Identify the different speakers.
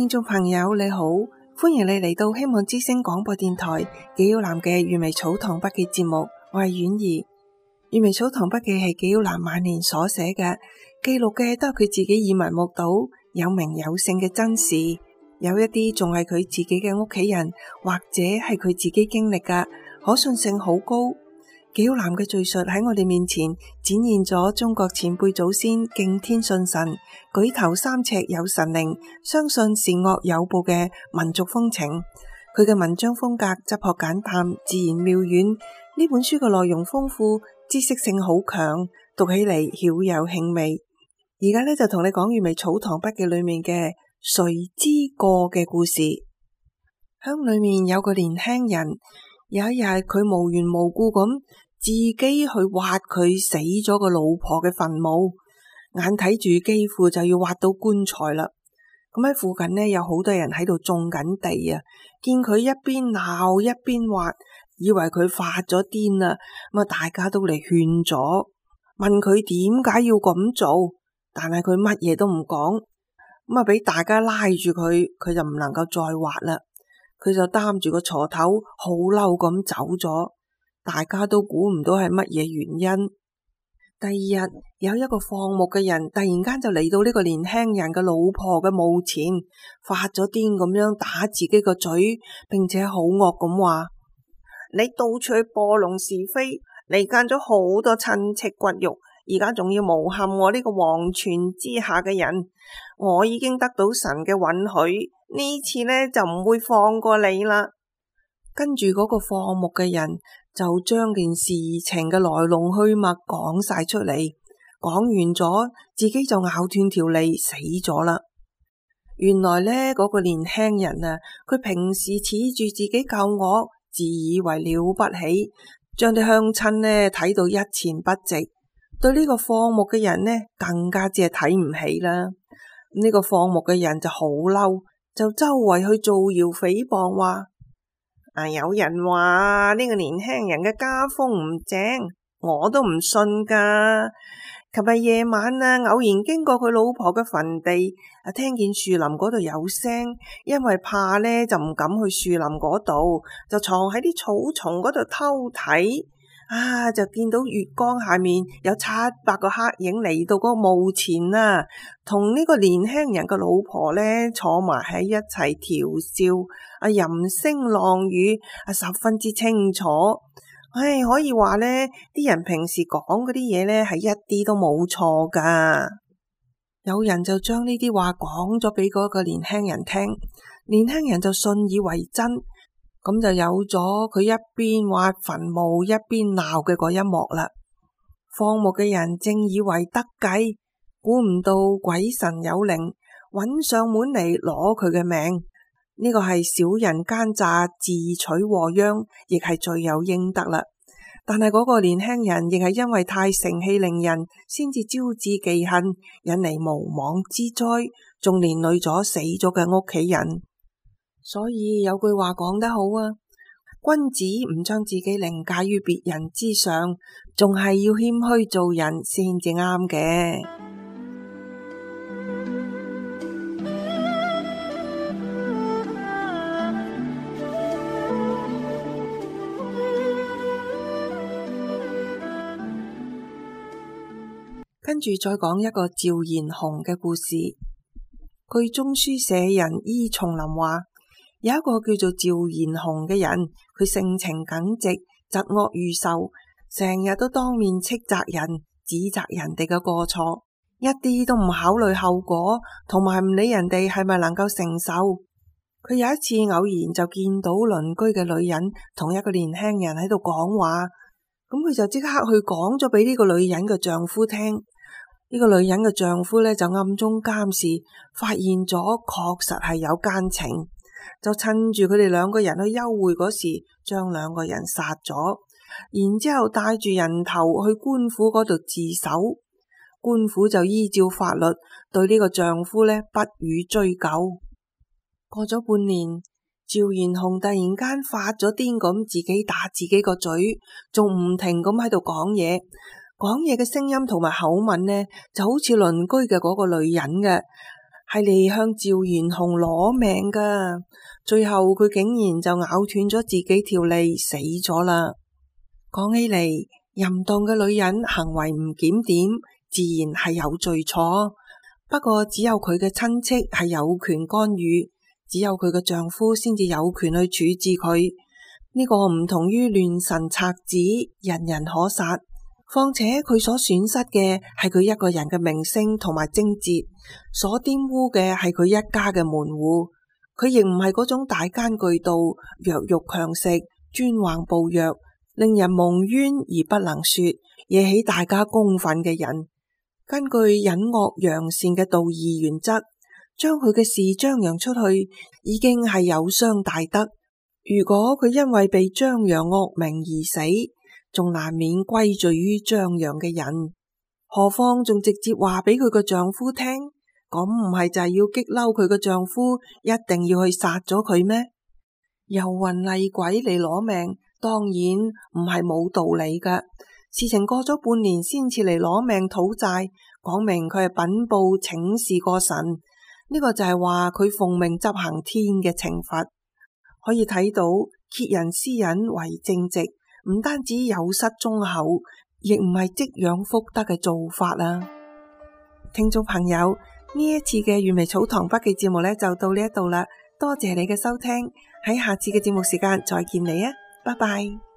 Speaker 1: 聽眾朋友你好，歡迎你嚟到希望之聲廣播電台紀曉嵐嘅閱微草堂筆記節目，我係婉兒。閱微草堂筆記係紀曉嵐晚年所寫嘅，記錄嘅都係佢自己耳聞目睹、有名有姓嘅真事，有一啲仲係佢自己嘅屋企人或者係佢自己經歷嘅，可信性好高。紀曉嵐嘅敘述喺我哋面前展現咗中國前輩祖先敬天信神、舉頭三尺有神靈、相信善惡有報嘅民族風情。佢嘅文章風格質樸簡淡、自然妙遠。呢本書嘅內容豐富，知識性好強，讀起嚟曉有興味。而家呢，就同你講閱微草堂筆記裏面嘅誰之過嘅故事。鄉裏面有個年輕人，有一日佢無緣無故咁自己去挖佢死咗個老婆嘅墳墓，眼睇住幾乎就要挖到棺材啦。咁喺附近呢，有好多人喺度種緊地啊，見佢一邊鬧一邊挖，以為佢發咗癲啦。咁啊，大家都嚟勸咗，問佢點解要咁做，但係佢乜嘢都唔講。咁啊，俾大家拉住佢，佢就唔能夠再挖啦。佢就擔住個鋤頭，好嬲咁走咗。大家都估唔到係乜嘢原因。第二日，有一個放牧嘅人突然間就嚟到呢個年輕人嘅老婆嘅墓前，發咗癲咁樣打自己個嘴，並且好惡咁話：你到處去播弄是非，離間咗好多親戚骨肉，而家仲要誣陷我呢個皇權之下嘅人。我已經得到神嘅允許，呢次呢就唔會放過你啦。跟住嗰個放牧嘅人就將件事情嘅來龍去脈講晒出嚟，講完咗，自己就咬斷條脷死咗啦。原來呢嗰個年輕人啊，佢平時恃住自己夠惡，自以為了不起，將啲鄉親呢睇到一錢不值，對呢個放牧嘅人呢更加只係睇唔起啦。呢個放牧嘅人就好嬲，就周圍去造謠誹謗話：有人話呢個年輕人嘅家風唔正，我都唔信噶。琴日夜晚偶然經過佢老婆嘅墳地，聽見樹林嗰度有聲，因為怕呢就唔敢去樹林嗰度，就藏喺啲草叢嗰度偷睇。就見到月光下面有700個黑影嚟到嗰個墓前啦，同呢個年輕人嘅老婆呢坐埋喺一齊調笑，吟聲浪語，十分之清楚。可以話呢啲人平時講嗰啲嘢呢係一啲都冇錯噶。有人就將呢啲話講咗俾嗰個年輕人聽，年輕人就信以為真。咁就有咗佢一邊挖墳墓一邊鬧嘅嗰一幕啦。放牧嘅人正以為得計，估唔到鬼神有靈，揾上門嚟攞佢嘅命。呢個係小人奸詐自取禍殃，亦係罪有應得啦。但係嗰個年輕人亦係因為太盛氣凌人，先至招致忌恨，引嚟無妄之災，仲連累咗死咗嘅屋企人。所以有句話講得好啊，君子唔將自己凌駕於別人之上，仲係要謙虛做人先至啱嘅。跟住再講一個趙延雄嘅故事。據中書舍人伊松林話，有一個叫做趙延雄嘅人，佢性情耿直，疾惡如仇，成日都當面斥責人，指責人哋嘅過錯，一啲都唔考慮後果，同埋唔理人哋係咪能夠承受。佢有一次偶然就見到鄰居嘅女人同一個年輕人喺度講話，咁佢就即刻去講咗俾呢個女人嘅丈夫聽。呢個女人嘅丈夫呢，就暗中監視，發現咗確實係有奸情，就趁住佢哋兩個人去幽會嗰時，將兩個人殺咗，然之後帶住人頭去官府嗰度自首。官府就依照法律對呢個丈夫呢不予追究。過咗半年，趙延雄突然間發咗癲咁，自己打自己個嘴，仲唔停咁喺度講嘢。講嘢嘅聲音同埋口吻呢，就好似鄰居嘅嗰個女人嘅，係嚟向趙賢鴻攞命噶。最後佢竟然就咬斷咗自己條脷死咗啦。講起嚟，淫蕩嘅女人行為唔檢點，自然係有罪錯。不過只有佢嘅親戚係有權干預，只有佢嘅丈夫先至有權去處置佢。呢個唔同於亂臣賊子，人人可殺。況且佢所損失嘅係佢一個人嘅名聲同埋貞節，所玷污嘅係佢一家嘅門戶。佢亦唔係嗰種大奸巨盜、弱肉強食、專橫暴虐，令人蒙冤而不能說，惹起大家公憤嘅人。根據隱惡揚善嘅道義原則，將佢嘅事張揚出去，已經係有傷大德。如果佢因為被張揚惡名而死，仲難免歸罪於張揚嘅人。何況仲直接話俾佢個丈夫聽，咁唔係就係要激嬲佢個丈夫，一定要去殺咗佢咩？遊魂厲鬼嚟攞命，當然唔係冇道理噶。事情過咗半年先至嚟攞命討債，講明佢係稟報請示過神，呢個就係話佢奉命執行天嘅懲罰。可以睇到揭人私隱為正直，唔單止有失忠厚，亦唔係積養福德嘅做法啊！聽眾朋友，呢一次嘅閱微草堂筆記節目呢，就到呢一度啦，多謝你嘅收聽，喺下次嘅節目時間再見你啊，拜拜。